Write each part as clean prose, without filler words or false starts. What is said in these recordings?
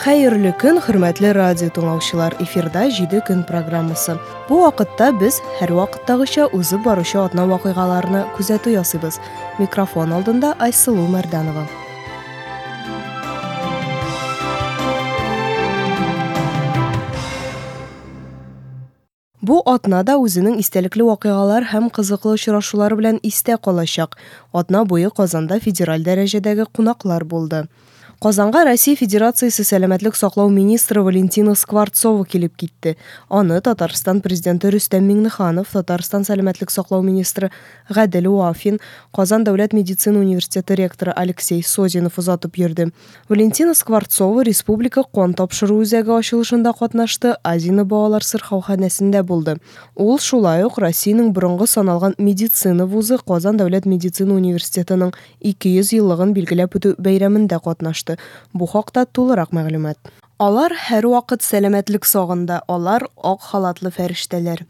Хәерле көн, хөрмәтле радио тыңлаучылар! Эфирда 7 көн программасы. Бу вакытта без һәрвакыттагыча узып баручы атна вакыйгаларына күзәтү ясыйбыз. Микрофон алдында Айсылу Мәрданова. Бу атна да үзенең истәлекле вакыйгалар һәм кызыклы очрашулары белән истә калачак. Атна буе Казанда федераль дәрәҗәдәге кунаклар булды. Казанга Россия Федерациясе сәламәтлек саклау министры Валентина Скворцова килеп китте. Аны Татарстан Президенты Рөстәм Миңнеханов, Татарстан сәламәтлек саклау министры Гадел Вафин, Казан дәүләт медицина университеты ректоры Алексей Созинов озатып йөрде. Валентина Скворцова Республика кан тапшыру үзәге ачылышында катнашты, Азино балалар сырхауханәсендә булды. Ул шулай ук Россиянең борынгы саналган медицина вузы Казан дәүләт медицина университетының 200 еллыгын билгеләп үтү бәйрәмендә катнашты. Бу хакта тулырак мәгълүмат. Алар һәрвакыт сәламәтлек сагында, алар, ак халатлы фәрештәләр.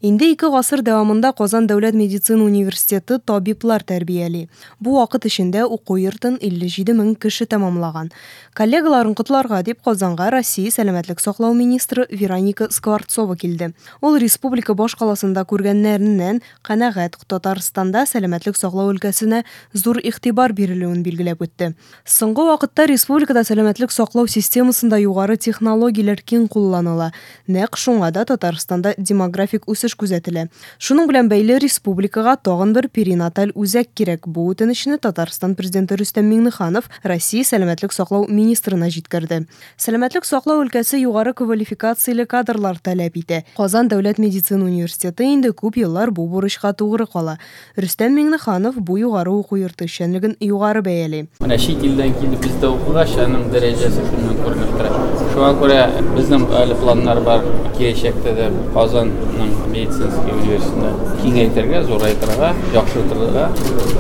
Инде ике гасыр дәвамында Казан дәүләт медицина университеты табиблар тәрбияли. Бу вакыт эчендә уку йортын 57 мең кеше тәмамлаган. Коллегаларын котларга дип Казанга Россия сәламәтлек саклау министры Вероника Скворцова килде. Ул республика башкаласында күргәннәреннән канәгать, Татарстанда сәламәтлек саклау өлкәсенә зур игътибар бирелүен билгеләп үтте. Соңгы вакытта республикада сәламәтлек саклау системасында югары технологияләр киң кулланыла. Нәкъ шуңа да Татарстанда демографик үсеш күзәтелә. Шуның белән бәйле республикага тагын бер перинаталь үзәк кирәк. Бу үтенечне Татарстан Президенты Рөстәм Миңнеханов Россия сәламәтлек саклау министрына җиткерде. Сәламәтлек саклау өлкәсе югары квалификацияле кадрлар таләп итә. Казан дәүләт медицина университеты инде күп еллар бу бурычка тугры кала. Рөстәм Миңнеханов бу югары уку йорты эшчәнлеген югары бәяли. Менә чит илдән килеп бездә укыгач, аның дәрәҗәсе шуннан күренеп тора. Шуңа күрә безнең әле планнар бар киләчәктә дә Казанның медицинский университетын киңәйтергә, зурайтырга, яхшыртырга.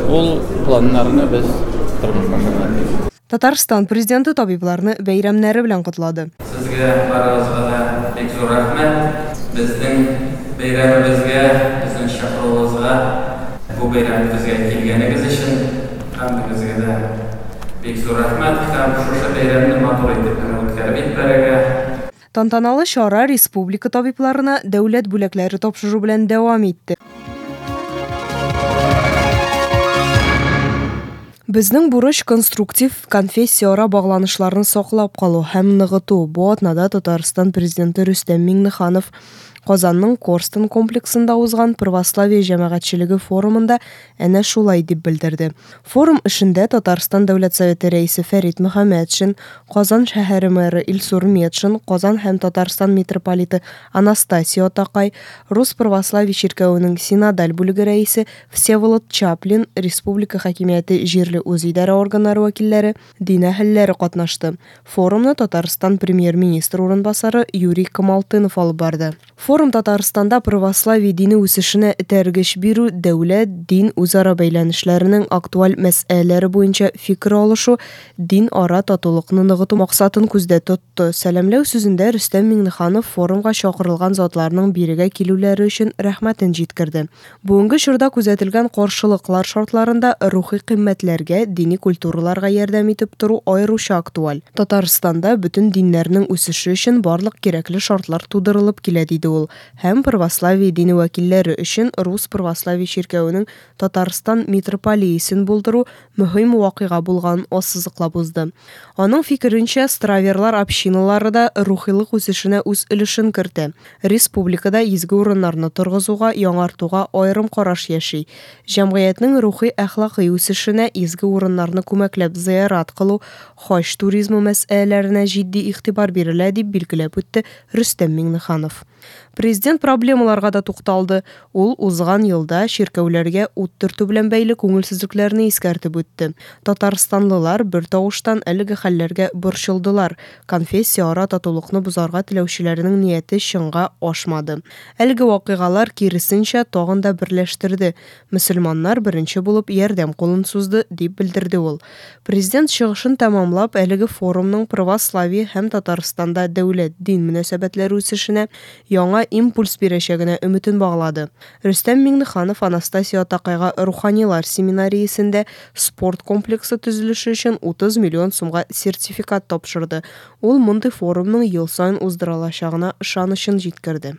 Ул планнарны без тормышка ашырырга тиеш. Татарстан Президенты табибларны бәйрәмнәре белән котлады. Сезгә барыгызга да бик зур рәхмәт. Безнең бәйрәмебезгә, безнең чакыруыбызга, бу бәйрәмебезгә килгәнегез өчен һәммәгезгә дә бик зур рәхмәт һәм шушы бәйрәмне матур итеп менә үткәреп җибәрергә. Тантаналы чара республика табибларына дәүләт бүләкләре тапшыру белән дәвам итте. Безнең бурыч конструктив конфессияара багланышларны саклап калу һәм ныгыту. Бу атнада Татарстан Президенты Рөстәм Миңнеханов Казанның Корстон комплексында узган православие җәмәгатьчелеге форумында әнә шулай дип белдерде. Форум эшендә Татарстан Дәүләт Советы Рәисе Фәрит Мөхәммәтшин, Казан шәһәре мэры Илсур Метшин, Казан һәм Татарстан митрополиты Анастасий Атакай, Рус православие чиркәвенең синодаль бүлеге рәисе Всеволод Чаплин, республика хакимияте җирле үзидарә органнары вәкилләре, дин әһелләре катнашты. Форумны Татарстан Премьер-министры урынбасары Юрий Камалтынов алып барды. Форум Татарстанда православие дине үсешенә этәргеч бирү, дәүләт, дин үзара бәйләнешләренең актуаль мәсьәләләре буенча фикер алышу, дин ара татулыкны ныгыту максатын күздә тотты. Сәламләү сүзендә Рөстәм Миңнеханов форумга чакырылган затларның бирегә килүләре өчен рәхмәтен җиткерде. Бүгенге чорда күзәтелгән каршылыклар шартларында рухи кыйммәтләргә, дини культураларга ярдәм итеп тору аеруча актуаль. Татарстанда бөтен диннәрнең үсеше өчен барлык кирәкле шартлар тудырылып килә, диде ул һәм православие дине вәкилләре өчен Рус православие чиркәвенең Татарстан митрополиясен булдыру мөһим вакыйга булганын ассызыклап узды. Аның фикеренчә, страверлар общиналары да рухилык үсешенә үз өлешен кертә. Республикада изге урыннарны торгызуга, яңартуга аерым караш яши. Җәмгыятьнең рухи-әхлакый үсешенә изге урыннарны күмәкләп зыярат кылу, хаҗ туризмы мәсьәләләренә җитди игътибар бирелә, дип билгеләп үтте Рөстәм Миңнеханов. Президент проблемаларга да тукталды. Ул узган елда чиркәүләргә ут төртү белән бәйле күңелсезлекләрне искәртеп үтте. Татарстанлылар бертавыштан әлеге хәлләргә борчылдылар, конфессияара татулыкны бозарга теләүчеләрнең нияте чынга ашмады. Әлеге вакыйгалар, киресенчә, тагын да берләштерде. Мөселманнар беренче булып ярдәм кулын сузды, дип белдерде ул. Президент чыгышын тәмамлап, әлеге форумның православие һәм Татарстанда дәүләт-дин мөнәсәбәтләре үсешенә яңа импульс бирәчәгенә өметен баглады. Рөстәм Миңнеханов Анастасия Атакайга Руханилар семинариясендә спорт комплексы төзелеше өчен 30 миллион сумга сертификат тапшырды. Ул мондый форумның ел саен уздырылачагына ышанычын җиткерде.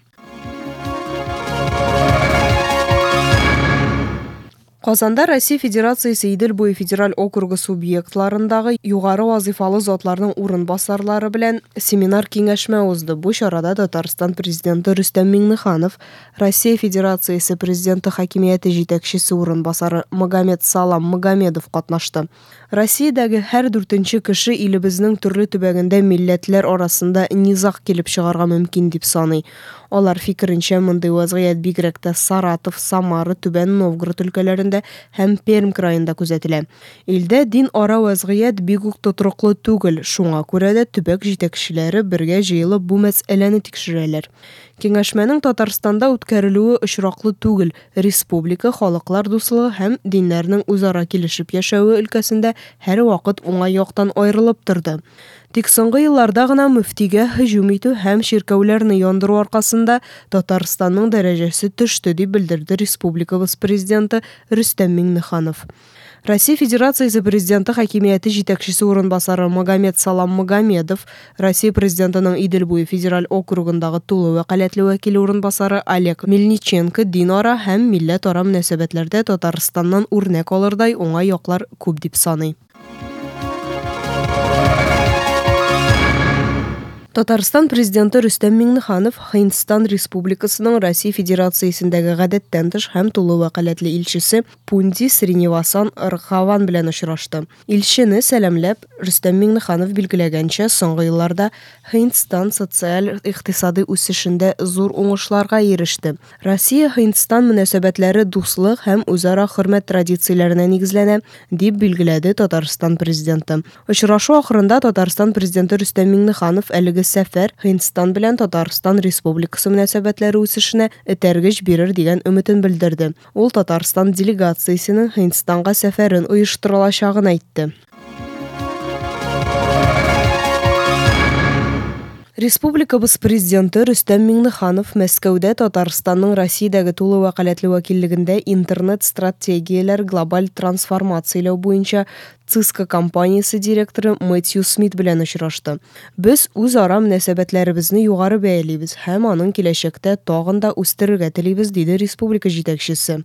Казанда Россия Федерациясе Идел буе федераль округы субъектларындагы югары вазыйфалы затларның урынбасарлары белән семинар-киңәшмә узды. Бу чарада Татарстан Президенты Рөстәм Миңнеханов, Россия Федерациясе Президенты хакимияте җитәкчесе урынбасары Магомед Салам Магомедов катнашты. Россиядәге һәр дүртенче кеше илебезнең төрле төбәгендә милләтләр арасында низаг килеп чыгарга мөмкин дип саный. Алар фикеренчә, мондый вазгыять бигрәк тә Саратов, Самара, Түбән Новгород өлкәләрендә һәм Пермь краенда күзәтелә. Илдә дин ара вазгыять бик үк тотрыклы түгел, шуңа күрә дә төбәк җитәкчеләре бергә җыелып бу мәсьәләне тикшерәләр. Киңәшмәнең Татарстанда үткәрелүе очраклы түгел, республика халыклар дуслыгы һәм диннәрнең үзара килешеп яшәве өлкәсендә һәрвакыт уңай яктан аерылып торды. Тик соңгы елларда гына мөфтигә һөҗүм итү һәм чиркәүләрне яндыру аркасында Татарстанның дәрәҗәсе төште, дип белдерде республикабыз Президенты Рөстәм Миңнеханов. Россия Федерациясе Президенты хакимияте җитәкчесе урынбасары Магомед Салам Магомедов, Россия Президентының Идел буе федераль округындагы тулы вәкаләтле вәкиле урынбасары Олег Мельниченко динара һәм милләтара мөнәсәбәтләрдә Татарстаннан үрнәк алырдай уңай яклар күп дип саный. Татарстан Президенты Рөстәм Миңнеханов Һиндстан Республикасының Россия Федерациясендәге гадәттән тыш һәм тулы вәкаләтле илчесе Пунди Сринивасан Рагхаван белән очрашты. Илчене сәламләп, Рөстәм Миңнеханов билгеләгәнчә, соңгы елларда Һиндстан социаль-икътисадый үсешендә зур уңышларга иреште. Россия-Һиндстан мөнәсәбәтләре дуслык һәм үзара хөрмәт традицияләренә нигезләнә, дип билгеләде Татарстан Президенты. Очрашу ахырында Татарстан Президенты Рөстәм Миңнеханов әлеге сәфәр Һиндстан белән Татарстан Республикасы мөнәсәбәтләре үсешенә этәргеч бирер дигән өметен белдерде. Ул Татарстан делегациясенең Һиндстанга сәфәрен оештырылачагын әйтте. Республикабыз Президенты Рөстәм Миңнеханов Мәскәүдә Татарстанның Россиядәге тулы вәкаләтле вәкиллегендә интернет-стратегияләр глобаль трансформацияләү буенча Cisco компаниясе директоры Мэтью Смит белән очрашты. Без үзара мөнәсәбәтләребезне югары бәялибез һәм аның киләчәктә тагын да үстерергә телибез, диде республика җитәкчесе.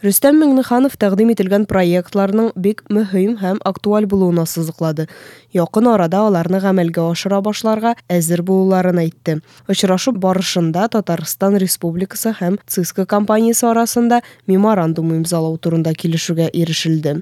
Рөстәм Миңнеханов тәкъдим ителгән проектларның бик мөһим һәм актуаль булуын ассызыклады. Якын арада аларны гамәлгә ашыра башларга әзер булуларын әйтте. Очрашу барышында Татарстан Республикасы һәм Cisco компаниясе арасында меморандум имзалау турында килешүгә ирешелде.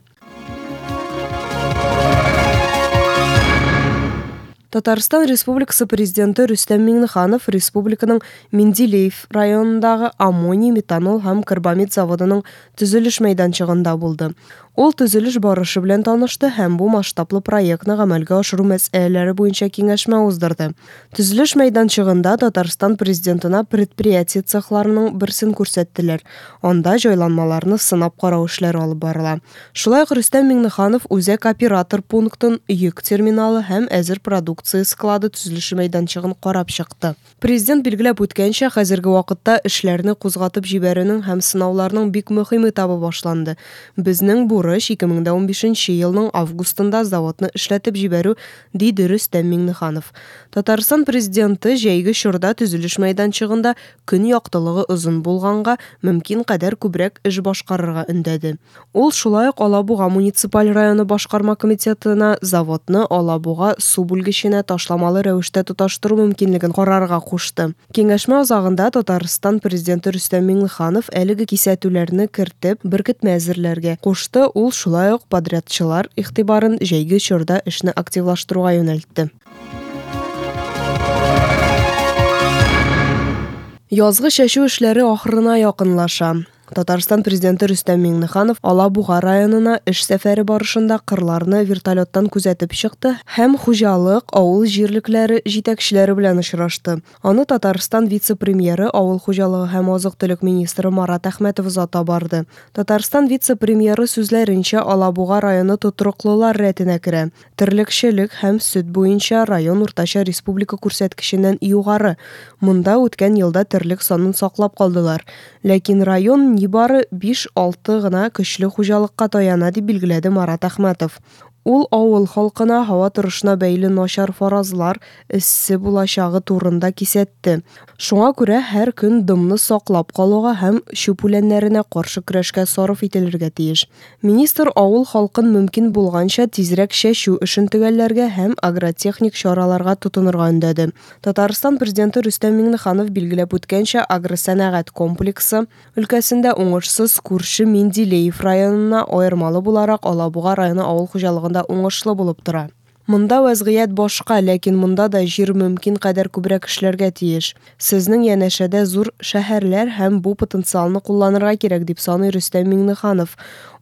Татарстан Республикасы Президенты Рөстәм Миңнеханов республиканың Менделеев районындагы аммоний, метанол һәм карбамид заводының төзелеш мәйданчыгында булды. Ул төзелеш барышы белән танышты һәм бу масштаблы проектны гамәлгә ашыру мәсьәләләре буенча киңәшмә уздырды. Төзелеш мәйданчыгында Татарстан Президентына предприятие цехларының берсен күрсәттеләр. Анда җайланмаларны сынап карау эшләре алып барыла. Шулай ук Рөстәм Миңнеханов үзәк оператор пунктын, йөк терминалы һәм әзер продукция склады төзелеше мәйданчыгын карап чыкты. Президент билгеләп үткәнчә, хәзерге вакытта эшләрне кузгатып җибәрүнең һәм сынауларның бик мөһим этабы башланды. Безнең бурыч 2015 елның августында заводны эшләтеп җибәрү, диде Рөстәм Миңнеханов. Татарстан Президенты җәйге чорда төзелеш мәйданчыгында көн яктылыгы озын булганга мөмкин кадәр күбрәк эш башкарырга өндәде. Ул шулай ук Алабуга муниципаль районы башкарма комитетына заводны Алабуга су бүлгеченә ташламалы рәвештә тоташтыру мөмкинлеген карарга кушты. Киңәшмә азагында Татарстан Президенты Рөстәм Миңнеханов әлеге кисәтүләрне кертеп, беркетмә әзерләргә кушты. Ул шулай ук подрядчылар игътибарын җәйге чорда эшне активлаштыруга юнәлтте. Язгы чәчү эшләре ахырына якынлаша. Татарстан Президенты Рөстәм Миңнеханов Алабуга районына эш сәфәре барышында кырларны вертолеттан күзәтеп чыкты һәм хуҗалык, авыл җирлекләре җитәкчеләре белән очрашты. Аны Татарстан вице-премьеры, авыл хуҗалыгы һәм азык-төлек министры Марат Әхмәтов озата барды. Татарстан вице-премьеры сүзләренчә, Алабуга районы тотрыклылар рәтенә керә. Терлекчелек һәм сөт буенча район уртача республика күрсәткеченнән югары. Монда үткән елда терлек санын саклап калдылар. Ләкин район нибары 5-6 гына көчле хуҗалыкка таяна, дип билгеләде Марат Әхмәтов. Ул авыл халкына һава торышына бәйле начар фаразлар, эссе булачагы турында кисәтте. Шуңа күрә һәр көн дымны саклап калуга һәм чүп үләннәренә каршы көрәшкә сарыф ителергә тиеш. Министр авыл халкын мөмкин булганча тизрәк чәчү эшен төгәлләргә һәм агротехник чараларга тотынырга өндәде. Татарстан Президенты Рөстәм Миңнеханов билгеләп үткәнчә, агросәнәгать комплексы өлкәсендә уңышсыз күрше Менделеев районына аермалы буларак, Алабуга районы авыл хуҗалыгында уңышлы булып тора. Монда вәзгыять башка, ләкин монда да җир мөмкин кадәр күбрәк эшләргә тиеш. Сезнең янәшәдә зур шәһәрләр һәм бу потенциалны кулланырга кирәк, дип саный Рөстәм Миңнеханов.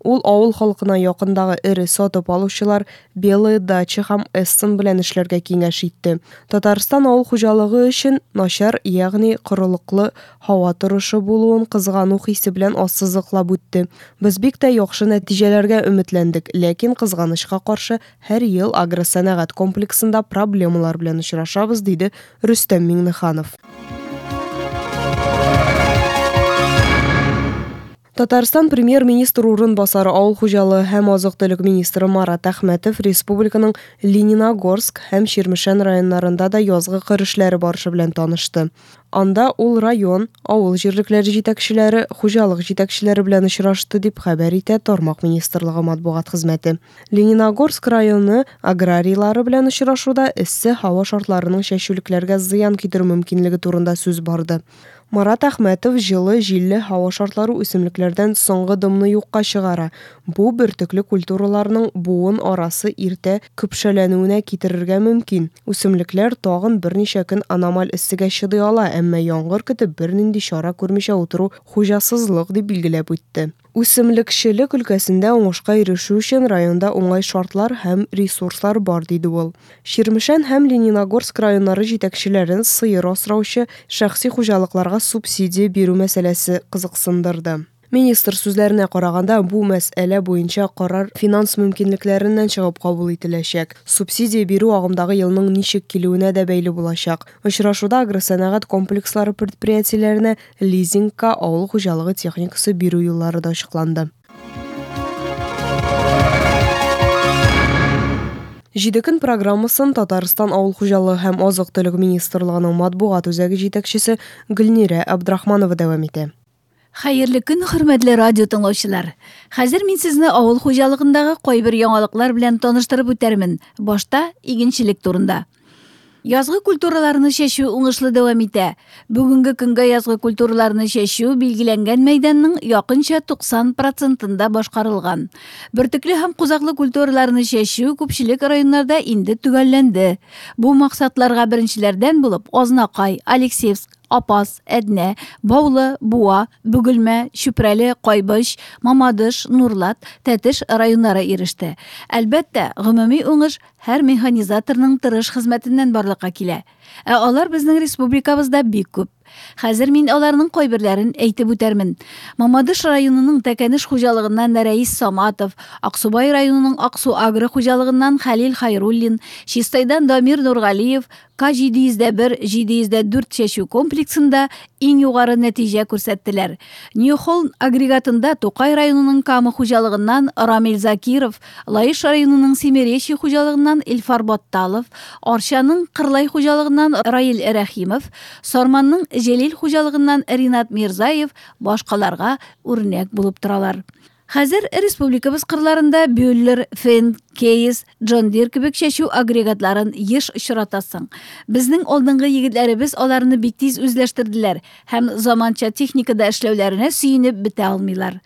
Ул авыл халкына якындагы эре сатып алучылар, Белые дачи һәм Эссен белән эшләргә киңәш итте. Татарстан авыл хуҗалыгы өчен начар, ягъни корылыклы һава торышы булуын кызгану хисе белән ассызыклап үтте. Без бик тә яхшы нәтиҗәләргә өметләндек, ләкин, кызганычка каршы, һәр ел агросәнәгать комплексында проблемалар белән очрашабыз, диде Рөстәм Миңнеханов. Татарстан Премьер-министр урынбасары, авыл хуҗалыгы һәм азык-төлек министры Марат Әхмәтов республиканың Лениногорск һәм Чирмешән районнарында да язгы кыр эшләре барышы белән танышты. Анда ул район, авыл җирлекләре җитәкчеләре, хуҗалык җитәкчеләре белән очрашты, дип хәбәр итә тармак министрлыгы матбугат хезмәте. Лениногорск районы аграрийлары белән очрашуда эссе һава шартларының чәчүлекләргә зыян китерү мөмкинлеге турында сүз барды. Марат Әхмәтов җылы, җилле һава шартлары үсемлекләрдән соңгы дымны юкка чыгара, бу бөртекле культураларның буын арасы иртә көпшәләнүенә китерергә мөмкин. Үсемлекләр тагын берничә көн аномаль эссегә чыдый ала, әмма яңгыр көтеп бернинди чара күрмичә утыру хуҗасызлык, дип билгеләп үтте. Үсемлекчелек өлкәсендә уңышка ирешү өчен районда уңай шартлар һәм ресурслар бар, диде ул. Чирмешән һәм Лениногорск районнары җитәкчеләрен сыер асраучы шәхси хуҗалыкларга субсидия бирү мәсьәләсе кызыксындырды. Министр сүзләренә караганда, бу мәсьәлә буенча карар финанс мөмкинлекләреннән чыгып кабул ителәчәк. Субсидия бирү агымдагы елның ничек килүенә дә бәйле булачак. Очрашуда агросәнәгать комплекслары предприятиеләренә лизингка авыл хуҗалыгы техникасы бирү юллары да ачыкланды. Җиде көн программасын Татарстан Авыл хуҗалыгы һәм азык-төлек министрлыгының матбугат үзәге җитәкчесе Гөлнирә Абдрахманова дәвам итә. Хәерле көн, хөрмәтле радио тыңлаучылар! Хәзер мин сезне авыл хуҗалыгындагы кайбер яңалыклар белән таныштырып үтәрмен. Башта игенчелек турында. Язгы культураларны чәчү уңышлы дәвам итә. Бүгенге көнгә язгы культураларны чәчү билгеләнгән мәйданның якынча 90 процентында башкарылган. Бөртекле һәм кузаклы культураларны чәчү күпчелек районнарда инде төгәлләнде. Бу максатларга беренчеләрдән булып Азнакай, Алексеевск, Апас, Әднә, Баулы, Буа, Бөгелмә, Чүпрәле, Кайбыч, Мамадыш, Нурлат, Тәтеш районнары иреште. Әлбәттә, гомуми уңыш һәр механизаторның тырыш хезмәтеннән барлыкка килә. Ә алар безнең республикабызда бик күп. Хәзер мин аларның кайберләрен әйтеп үтәрмен. Мамадыш районының Тәкәнеш хуҗалыгыннан Рәис Саматов, Аксубай районының Аксу Агро хуҗалыгыннан Хәлил Хайруллин, Чистайдан Дамир Нургалиев, К 701, 704 чәчү комплексында иң югары нәтиҗә күрсәттеләр. Нью-Холм агрегатында Тукай районының Кама хуҗалыгыннан Рамил Закиров, Лаеш районының Семиречье хуҗалыгыннан Илфар Батталов, Арчаның Кырлай хуҗалыгыннан Раил Рәхимов, Сарманның Җәлил хуҗалыгыннан Ринат Мирзаев башкаларга үрнәк булып торалар. Хәзер республикабыз кырларында Бюллер, Фен, Кейс, Джон Дир кебек чәчү агрегатларын еш очратасың. Безнең алдынгы егетләребез аларны бик тиз үзләштерделәр һәм заманча техникада эшләүләренә сөенеп бетә алмыйлар.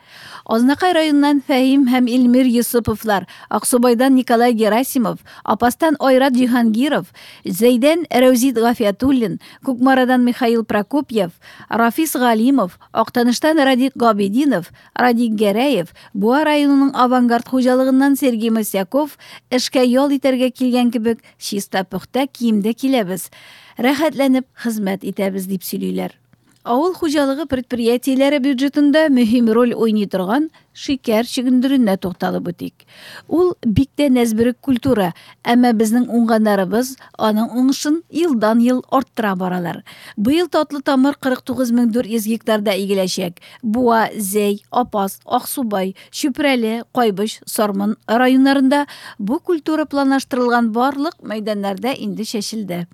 Азнакай районыннан Фәһим һәм Илмир Йосыповлар, Аксубайдан Николай Герасимов, Апастан Айрат Җиһангиров, Зәйдән Рәүзит Гафиятуллин, Кукмарадан Михаил Прокопьев, Рафис Галимов, Актаныштан Радик Габидинов, Радик Гәрәев, Буа районының Авангард хуҗалыгыннан Сергей Мосяков эшкә ял итәргә килгән кебек чиста-пөхтә киемдә киләбез, рәхәтләнеп хезмәт итәбез, дип сөйлиләр. Авыл хуҗалыгы предприятиеләре бюджетында мөһим роль уйный торган шикәр чөгендеренә тукталып үтик. Ул бик тә нәзберек культура, әмма безнең уңганнарыбыз аның уңышын елдан-ел арттыра баралар. Быел татлы тамыр 49400 гектарда игеләчәк. Буа, Зәй, Апас, Аксубай, Чүпрәле, Кайбыч, Сарман районнарында бу культура планлаштырылган барлык мәйданнарда инде чәчелде.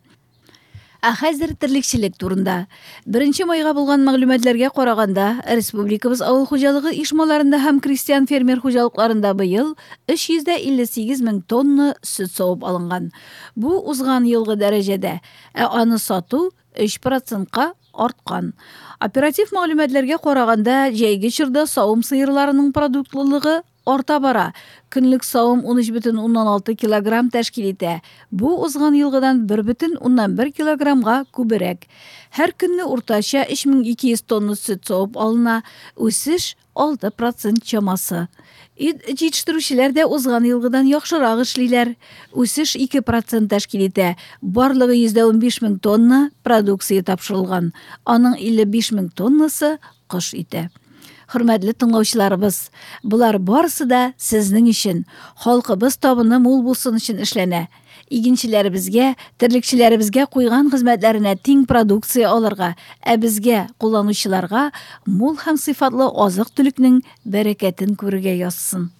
Ә хәзер терлекчелек турында. Беренче майга булган мәгълүматларга караганда, республикабыз авыл хуҗалыгы оешмаларында һәм крестьян-фермер хуҗалыкларында быел 358 мең тонна сөт савып алынган. Бу узган елгы дәрәҗәдә, ә аны сату 3 процентка арткан. Оператив мәгълүматларга караганда, җәйге чорда савым сыерларының продуктлылыгы арта бара. Көнлек савым 13,6 килограмм тәшкил итә. Бу узган елгыдан 1,1 килограммга күбрәк. Һәр көнне уртача 3200 тонна сөт савып алына. Үсеш 6 процент чамасы. Ит җитештерүчеләр дә узган елгыдан яхшырак эшлиләр. Үсеш 2 процент тәшкил итә. Барлыгы 115 мең тонна продукция тапшырылган. Аның 55 мең тоннасы кош ите. Хөрмәтле тыңлаучыларыбыз, болар барысы да сезнең өчен, халкыбыз табыны мул булсын өчен эшләнә. Игенчеләребезгә, терлекчеләребезгә куйган хезмәтләренә тиң продукция алырга, ә безгә, кулланучыларга, мул һәм сыйфатлы азык-төлекнең бәрәкәтен күрергә язсын.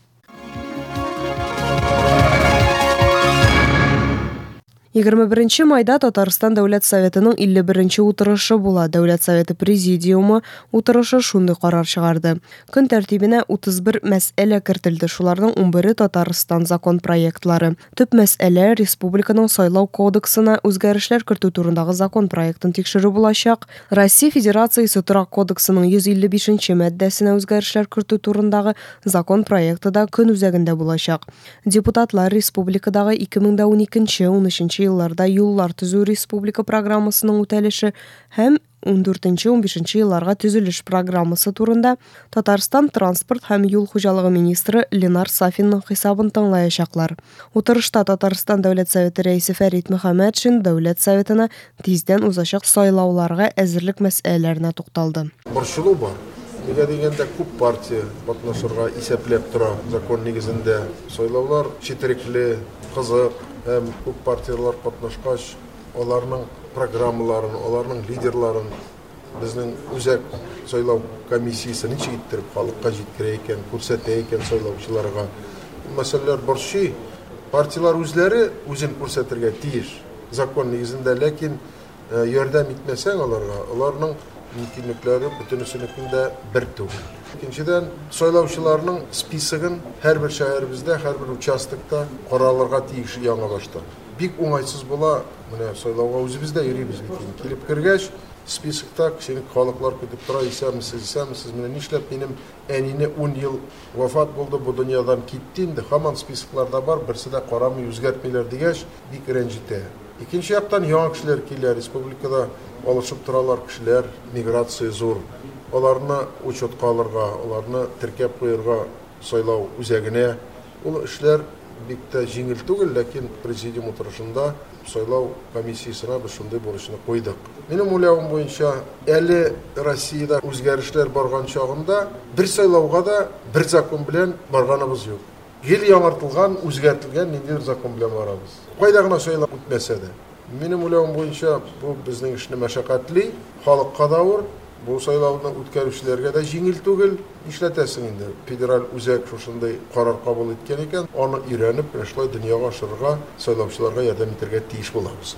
21 майда Татарстан Дәүләт Советының 51 утырышы була. Дәүләт Советы Президиумы утырышы шундый карар чыгарды. Көн тәртибенә 31 мәсьәлә кертелде. Шуларның 11-е Татарстан закон проектлары. Төп мәсьәлә республиканың сайлау кодексына үзгәрешләр кертү турындагы закон проектын тикшерү булачак. Россия Федерациясе Торак кодексының 155 маддәсенә үзгәрешләр кертү турындагы закон проекты да көн үзәгендә булачак. Депутатлар республикадагы 2012-13 елларда юллар төзү республика программасының үтәлеше һәм 14-15 елларга төзелеш программасы турында Татарстан транспорт һәм юл хуҗалыгы министры Ленар Сафинның хисабын тыңлаячаклар. Утырышта Татарстан Дәүләт Советы рәисе Фәрит Мөхәммәтшин Дәүләт Советына тиздән узачак сайлауларга әзерлек мәсьәләләренә тукталды. Борчылу бар. Нигә дигәндә, күп партия катнашырга исәпләп тора закон нигезендә. Сайлаулар четерекле, кызык һәм күп партияләр катнашкач, аларның программаларын, аларның лидерларын безнең үзәк сайлау комиссиясе ничек иттереп халыкка җиткерә икән, күрсәтә икән сайлаучыларга. Бу мәсьәләләр борчый. Партияләр үзләре үзен күрсәтергә тиеш закон нигезендә, ләкин ярдәм итмәсәң аларга, аларның мөмкинлекләре бөтенесенекен дә бер түгел. Икенчедән, сайлаучыларның списогын һәрбер шәһәребездә, һәрбер участокта каралырга тиеш яңа баштан. Бик уңайсыз була, менә сайлауга үзебез дә йөрибез бит инде. Килеп кергәч, списокта кешене халыклар көтеп тора, исәнмесез, исәнмесез, менә нишләп минем әнине 10 ел вафат булды, бу дөньядан китте инде, һаман списокларда бар, берсе дә карамый, үзгәртмиләр дигәч, бик рәнҗетә. Икенче яктан, яңа кешеләр килә, республикада алышып торалар кешеләр, миграция зур. Аларны учетка алырга, аларны теркәп куярга сайлау үзәгенә. Ул эшләр бик тә җиңел түгел, ләкин президиум утырышында сайлау комиссиясенә без шундый бурычны куйдык. Минем уйлавым буенча, әле Россиядә үзгәрешләр барган чагында бер сайлауга да бер закон белән барганыбыз юк. Гел яңартылган, үзгәртелгән ниндидер закон белән барабыз. Кайда гына сайлау үтмәсә дә. Минем уйлавым буенча, бу безнең эшне мәшәкатьли, халыкка да авыр, бу сайлауны үткәрүчеләргә дә җиңел түгел. Нишләтәсең инде, федераль үзәк шушындый карар кабул иткән икән, аны өйрәнеп, менә шулай дөньяга ашырырга, сайлаучыларга ярдәм итәргә тиеш булабыз.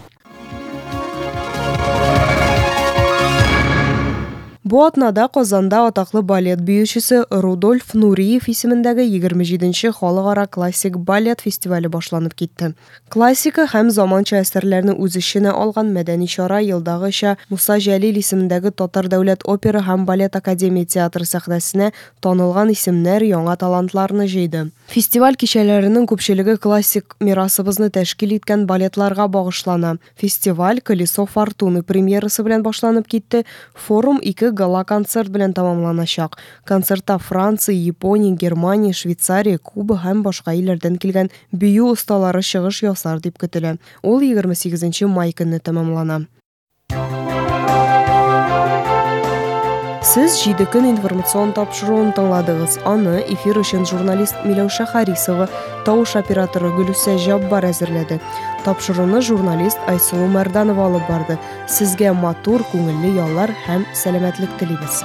Бу атнада Казанда атаклы балет биючесе Рудольф Нуриев исемендәге 27 нче халыкара классик балет фестивале башланып китте. Классика һәм заманча әсәрләрне үз эченә алган мәдәни чара елдагыча Муса Җәлил исемендәге Татар дәүләт опера һәм балет академия театры сәхнәсенә танылган исемнәр, яңа талантларны җыйды. Фестиваль кичәләренең күпчелеге классик мирасыбызны тәшкил иткән балетларга багышлана. Фестиваль Колесо фортуны премьерасы белән башланып китте, форум ике гала-концерт белән тәмамланачак. Концертта Франция, Япония, Германия, Швейцария, Куба һәм башка илләрдән килгән бию осталары чыгыш ясар дип көтелә. Ул 28 май көнне тәмамлана. Сез Җиде көн информацион тапшыруын тыңладыгыз. Аны эфир өчен журналист Миләүшә Харисова, тавыш операторы Гөлүсә Җаббар әзерләде. Тапшыруны журналист Айсылу Мәрданова алып барды. Сезгә матур, күңелле яллар һәм сәламәтлек телибез.